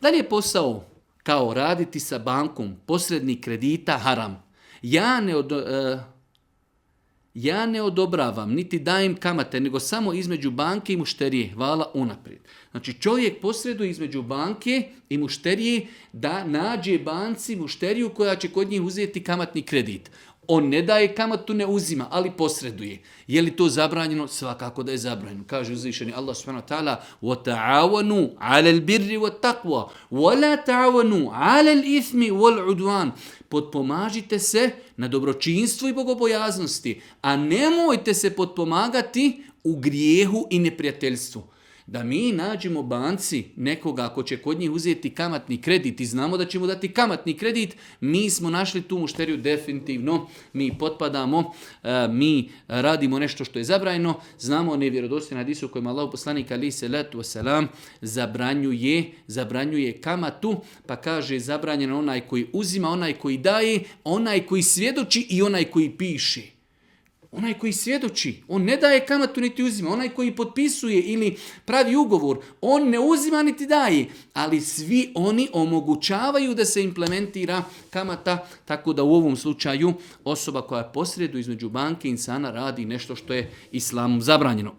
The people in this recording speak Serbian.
Da li je posao kao raditi sa bankom, posrednik kredita, haram? Ja ne odobravam, niti dajem kamate, nego samo između banke i mušterije. Hvala unaprijed. Znači čovjek posreduje između banke i mušterije da nađe banci mušteriju koja će kod njih uzeti kamatni kredit. On ne daje kamatu, ne uzima, ali posreduje. Je li to zabranjeno? Svakako da je zabranjeno. Kaže uzvišeni Allah subhanahu wa ta'ala وَتَعَوَنُوا عَلَى الْبِرِّ وَالتَّقْوَى وَلَا تَعَوَنُوا عَلَى الْإِثْمِ وَالْعُدْوَانِ. Potpomažite se na dobročinstvu i bogobojaznosti, a nemojte se potpomagati u grijehu i neprijateljstvu. Da mi nađemo banci nekoga ko će kod njih uzeti kamatni kredit i znamo da će mu dati kamatni kredit, mi smo našli tu mušteriju definitivno, mi potpadamo, mi radimo nešto što je zabranjeno, znamo nevjerodostojne hadise u kojima Allahov poslanik alejhi selatu vesselam zabranjuje kamatu, pa kaže zabranjeno onaj koji uzima, onaj koji daje, onaj koji svjedoči i onaj koji piše. Onaj koji svjedoči, on ne daje kamatu niti uzima. Onaj koji potpisuje ili pravi ugovor, on ne uzima niti daje. Ali svi oni omogućavaju da se implementira kamata, tako da u ovom slučaju osoba koja posreduje između banke i insana radi nešto što je islamom zabranjeno.